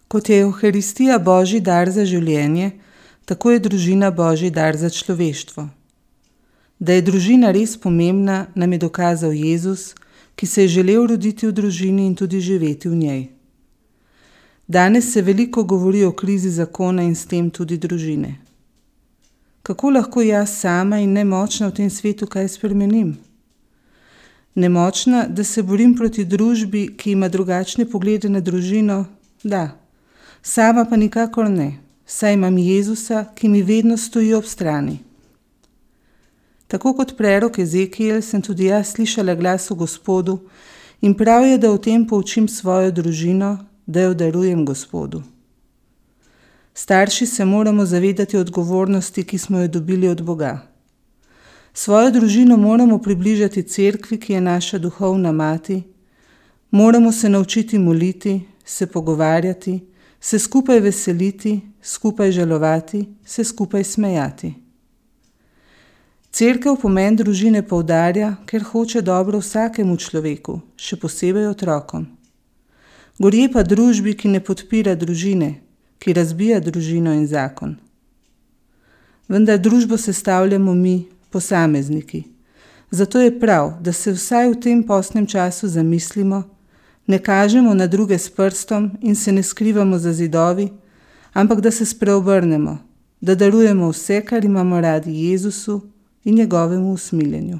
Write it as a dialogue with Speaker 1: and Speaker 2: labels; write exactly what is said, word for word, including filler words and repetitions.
Speaker 1: Kot je Evharistija Božji dar za življenje, tako je družina Božji dar za človeštvo. Da je družina res pomembna, nam je dokazal Jezus, ki se je želel roditi v družini in tudi živeti v njej. Danes se veliko govori o krizi zakona in s tem tudi družine. Kako lahko jaz sama in nemočna v tem svetu kaj spremenim? Nemočna, da se borim proti družbi, ki ima drugačne poglede na družino, da. Sama pa nikakor ne, saj imam Jezusa, ki mi vedno stoji ob strani. Tako kot prerok Ezekiel sem tudi jaz slišala glas o Gospodu in prav je, da o tem poučim svojo družino, da jo darujem Gospodu. Starši se moramo zavedati odgovornosti, ki smo jo dobili od Boga. Svojo družino moramo približati cerkvi, ki je naša duhovna mati, moramo se naučiti moliti, se pogovarjati, se skupaj veseliti, skupaj žalovati, se skupaj smejati. Cerkev pomen družine poudarja, ker hoče dobro vsakemu človeku, še posebej otrokom. Gorje pa družbi, ki ne podpira družine, ki razbija družino in zakon. Vendar družbo sestavljamo mi, posamezniki. Zato je prav, da se vsaj v tem postnem času zamislimo, ne kažemo na druge s prstom in se ne skrivamo za zidovi, ampak da se spreobrnemo, da darujemo vse, kar imamo radi Jezusu in njegovemu usmiljenju.